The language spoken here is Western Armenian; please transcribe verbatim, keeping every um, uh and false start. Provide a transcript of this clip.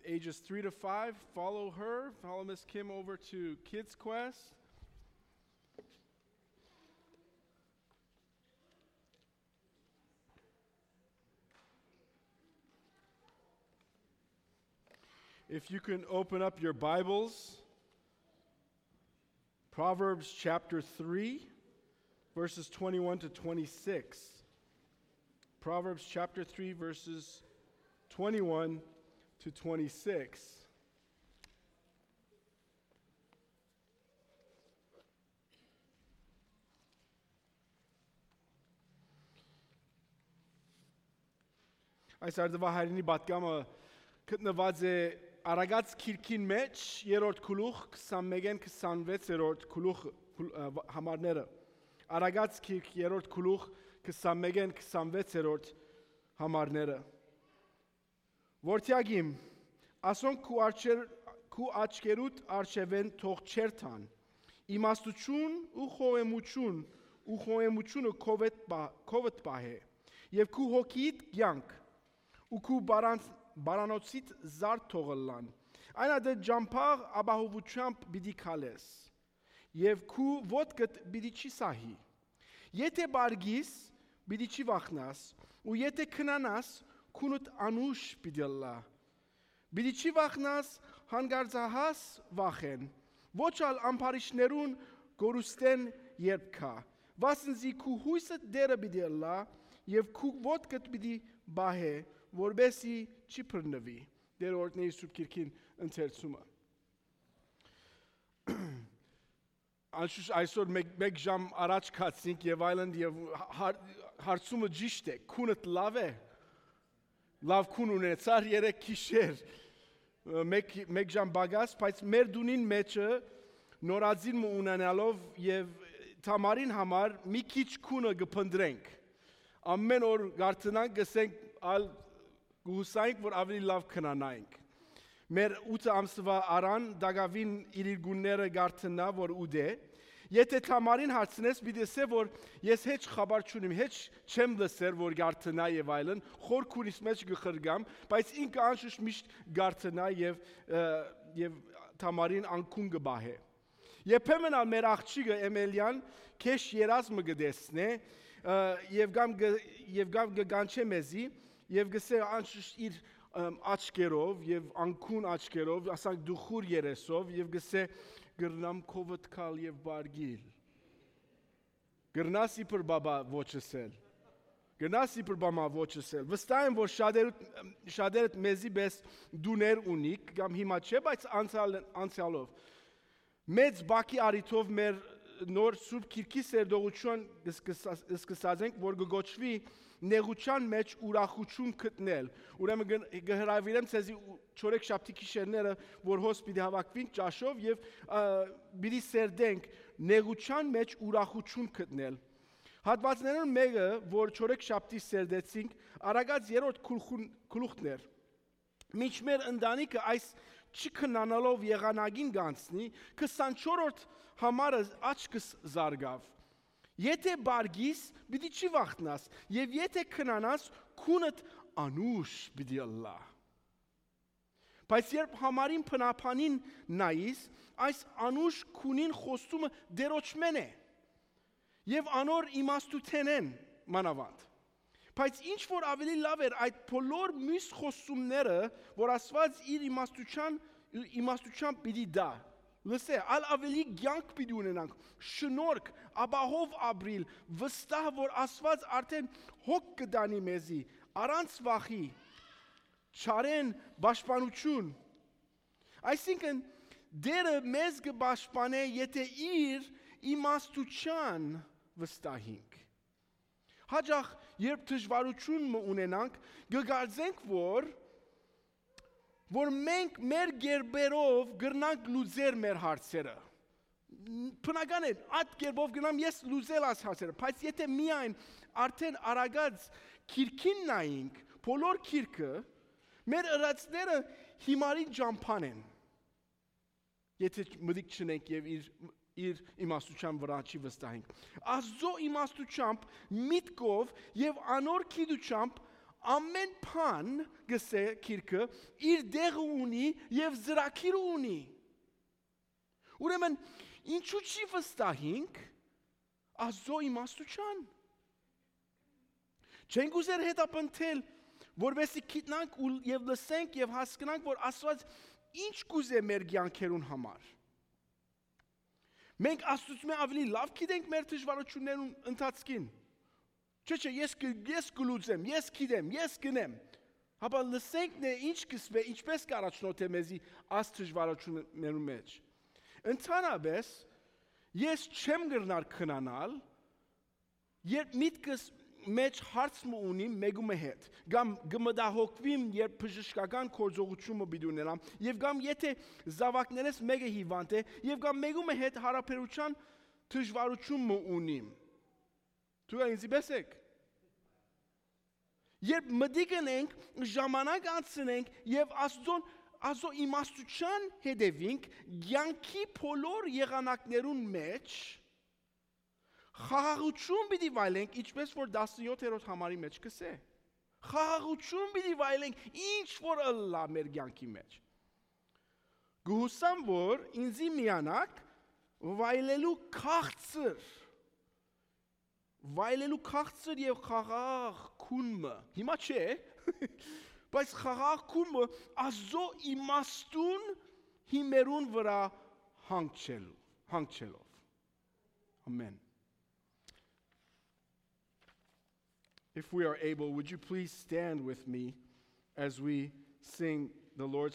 ages three to five, follow her. Follow Miss Kim over to Kids Quest. If you can open up your Bibles, Proverbs chapter three, verses twenty-one to twenty-six. Proverbs chapter three, verses twenty-one to twenty-six. Այս արդուահայրենի պատգամը գտնուած է Արագած գիրքին մէջ, երրորդ գլուխ, քսանմէկէն քսանվեցերորդ գլուխ, գլ-, ը, վ-, համարները։ Արագած գիրք, երրորդ գլուխ, քսանմէկէն քսանվեցերորդ համարները։ Որդեակ իմ, ասոնք քու արջեր-, քու աչքերուդ առջեւէն թող չերթան։ Իմաստութիւն ու խոհեմութիւն, ու խոհեմութիւնը քովդ պա-, քովդ պահէ, եւ քու հոգիդ կեանք, ու քու բարան-, բարանոցիդ զարդ թող ըլլան։ Այն ատեն ճամբայ ապահովութեամբ պիտի քալես, եւ քու ոտքդ պիտի չի սահի։ Եթէ պարգիս, պիտի չի վախնաս, ու եթէ քնանաս, քունդ անուշ պիտի ըլլայ։ Պիտի չի վախնաս հանկարծահաս վախէն, ոչ ալ ամբարիշներուն կորուստէն երբ գայ, վասն զի քու յոյսդ Տէրը պիտի ըլլայ, եւ քու ոտքդ պիտի պահէ, որպէս զի չի բռնուի։ Տէրը օրհնէ իր Սուրբ Գիրքին ընթերցումը։ Անշուշտ այսօր մէկ, մէկ ժամ առաջ գացինք եւ այլն, եւ հա-, հարցումը ճիշտ է, քունդ լաւ է, լաւ քուն ունեցար երեկ գիշեր, մէկ, մէկ ժամ պակաս, բայց մեր տունին մէջը նորածին մը ունենալով եւ Թամարին համար մի քիչ քունը կը փնտրենք։ Ամեն օր գարթնանք, գսենք, ալ կը յուսայինք, որ ավելի լաւ քնանայինք։ Մեր ութ ամսուայ Արան տակաւին իր, իր գունները գարթնայ, որ ուտէ։ Եթէ Թամարին հարցնես, պիտի ըսէ, որ ես հեչ խաբար չունիմ, հեչ չեմ լսեր, որ գարթնայ եւ այլն, խոր քունիս մէջ կը խրկամ, բայց ինքը անշուշտ միշտ գարթնայ եւ, ը, եւ Թամարին անկուն կը պահէ։ Երբեմն ալ մեր աղջիկը Էմելիան քեշ երազ մը կը տեսնէ, ը, եւ կամ կը, եւ կամ կը կանչէ մեզի, եւ կ'ըսէ անշուշտ իր, ըմ, աչքերով եւ անկուն աչքերով, ասանք դուխուր երեսով, եւ կ'ըսէ, «Կրնամ քովդ գալ եւ պարգիլ»։ Կրնաս իբր բաբա ոչ ըսել։ Կրնաս իբր բաբա ոչ ըսել։ Վստահ եմ, որ շատերդ, շատերդ մեզի պէս դուներ ունիք, կամ հիմա չէ, բայց անցյալ-, անցյալով։ Մեծ բակի առիթով մեր նոր Սուրբ Գիրքի սերտողութիւն սկսած ենք, որ կը կոչուի «Նեղութեան մէջ ուրախութիւն գտնել»։ Ուրեմն կը, կը հրաւիրեմ ձեզի ու-, չորեքշաբթի գիշերները, որ հոս պիտի հաւաքուինք ճաշով եւ, ը, պիտի սերտենք «Նեղութեան մէջ ուրախութիւն գտնել»։ Հատուածներէն մէկը, որ չորեքշաբթի սերտեցինք, Արագած երրորդ գլխուն-, գլուխն էր։ Մինչ մեր ընտանիքը այս չքնանալով եղանակին կանցնի, քսանչորրորդ համարը աչքս զարկաւ։ «Եթէ պարգիս, պիտի չի վախնաս, եւ եթէ քնանաս, քունդ անուշ պիտի ըլլայ»։ Բայց երբ համարին բնաբանին նայիս, այս անուշ քունին խոստումը Տէրոջմէն է, եւ անոր իմաստութենէն մանաւանդ։ Բայց ինչ որ ավելի լաւ էր այդ բոլոր միւս խոստումները, որ Աստուած իր իմաստութեան, իմաստութեան պիտի տայ։ Լսէ, ալ ավելի կեանք պիտի ունենանք, շնորհք, ապահով ապրիլ, վստահ որ Աստուած արդեն հոգ կը տանի մեզի, առանց վախի, չարէն պաշտպանութիւն։ Այսինքն, Տէրը մեզ կը պաշտպանէ, եթէ իր իմաստութեան վստահինք։ Հաճախ, երբ դժուարութիւն մը ունենանք, կը կարծենք, որ, որ մենք մեր կերպերով կրնանք լուծել մեր հարցերը։ Բնական է, այդ կերպով կրնամ ես լուծել այս հարցերը, բայց եթէ միայն արդեն Արագած գիրքին նայինք, բոլոր գիրքը, մեր ըրածները հիմարին ճամբան են, եթէ մտիկ չունենք եւ իր, իր իմաստութեան վրայ չի վստահենք։ Աստուծոյ իմաստութեամբ, միտքով եւ անոր գիտութեամբ Ամէն բան, կ'ըսէ գիրքը, իր տեղը ունի եւ ծրագիրը ունի։ Ուրեմն, ինչու՞ չի վստահինք Աստուծոյ իմաստութեան։ Չենք ուզեր հետապնդել, որպեսզի գիտնանք ու, եւ լսենք եւ հասկնանք, որ Աստուած ինչ կ'ուզէ մեր կեանքերուն համար։ Մենք Աստուծմէ աւելի լաւ գիտենք մեր դժուարութիւններուն ընթացքին։ Չէ, չէ, ես կը, ես կը լուծեմ, ես գիտեմ, ես կ'ընեմ։ Հապա լսենք նե ինչ կ'ըսուէ, ինչպէս կ'առաջնորդէ մեզի այս դժուարութիւններու մէջ։ Ընդհանրապէս, ես չեմ կրնար քնանալ, երբ միտքս մէջ հարց մը ունիմ մէկու մը հետ, կամ կը մտահոգուիմ, երբ բժշկական գործողութիւն մը պիտի ունենամ, եւ կամ եթե զաւակներէս մէկը հիվանդ է, եւ կամ մէկու մը հետ յարաբերութեան դժուարութիւն մը ունիմ։ Դուք ինձի պէս էք։ Երբ մտիկ ընենք, ժամանակ անցնենք եւ Աստուծոն, Աստուծոյ իմաստութեան հետեւինք, կեանքի բոլոր եղանակներուն մէջ խաղաղութիւն պիտի վայելենք, ինչպէս որ տասնեթերորդ համարի մէջ կ'ըսէ։ Խաղաղութիւն պիտի վայելենք, ինչ որ ըլլայ մեր կեանքի մէջ։ Կը յուսամ, որ ինձի միանաք վայելելու քաղցր, վայելելու քաղցր եւ խաղաղ քուն մը։ Հիմա չէ, բայց խաղաղ քուն մը Աստուծոյ իմաստուն հիմերուն վրայ հանգչելու, հանգչելով։ Ամեն։ If we are able, would you please stand with me as we sing the Lord's